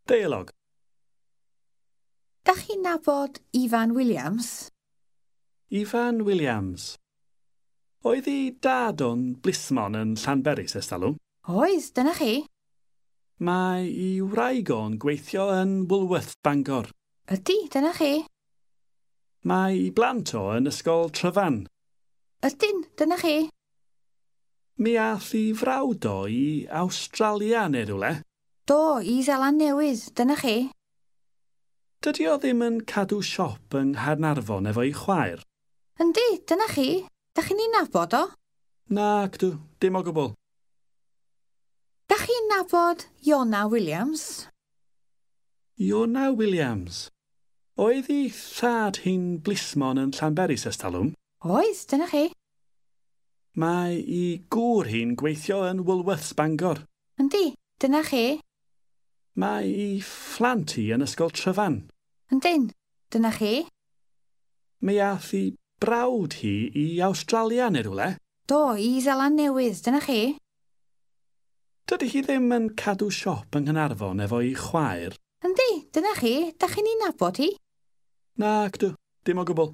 Deialog. Da chi'n nabod Ifan Williams? Ifan Williams. Oedd ei dad o'n blismon yn Llanberis ers talwm? Oedd, dyna chi. Mae ei wraig o'n gweithio yn Woolworths Bangor. Ydy, dyna chi. Mae ei blant o yn ysgol Tryfan. Ydyn, dyna chi. Mi ath ei frawd o i Awstralia neu rywle. Do, i Seland Newydd, dyna chi. Dydy o ddim yn cadw siop yng Nghaernarfon efo'i chwaer. Yndi, dyna chi. Da chi'n ei nabod o? Nac dw, dim o gwbl. Da chi'n nabod Iona Williams? Iona Williams. Oedd ei thad hi'n blismon yn Llanberis ers talwm? Oedd, dyna chi. Mae ei gŵr hi'n gweithio yn Woolworths Bangor. Yndi, dyna chi. Mae ei phlant hi yn ysgol Tryfan. Yndyn, dyna chi. Mi ath ei brawd hi i Awstralia neu rywle. Do, i Seland Newydd, dyna chi. Dydy hi ddim yn cadw siop yng Nghaernarfon efo'i chwaer. Yndi, dyna chi. Da chi'n ei nabod hi? Nac dw, dim o gwbl.